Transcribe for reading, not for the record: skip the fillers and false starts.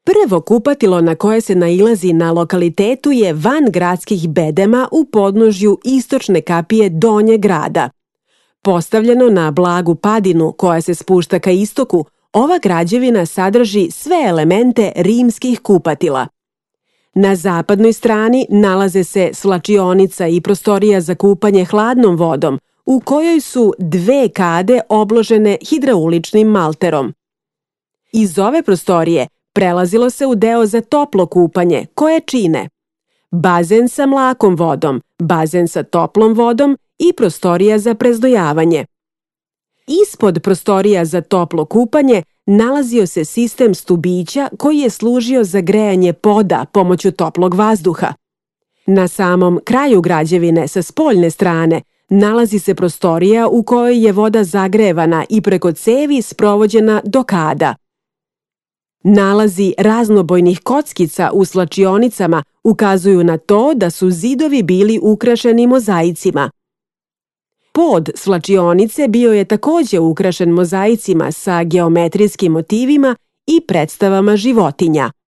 Prvo kupatilo na koje se nailazi na lokalitetu je van gradskih bedema u podnožju istočne kapije Donjeg grada. Postavljeno na blagu padinu koja se spušta ka istoku, ova građevina sadrži sve elemente rimskih kupatila. Na zapadnoj strani nalaze se svlačionica i prostorija za kupanje hladnom vodom, u kojoj su 2 kade obložene hidrauličnim malterom. Iz ove prostorije prelazilo se u deo za toplo kupanje, koje čine bazen sa mlakom vodom, bazen sa toplom vodom i prostorija za prezdojavanje. Ispod prostorija za toplo kupanje nalazio se sistem stubića koji je služio za grejanje poda pomoću toplog vazduha. Na samom kraju građevine sa spoljne strane nalazi se prostorija u kojoj je voda zagrevana i preko cevi sprovođena do kada. Nalazi raznobojnih kockica u svlačionicama ukazuju na to da su zidovi bili ukrašeni mozaicima. Pod svlačionice bio je takođe ukrašen mozaicima sa geometrijskim motivima i predstavama životinja.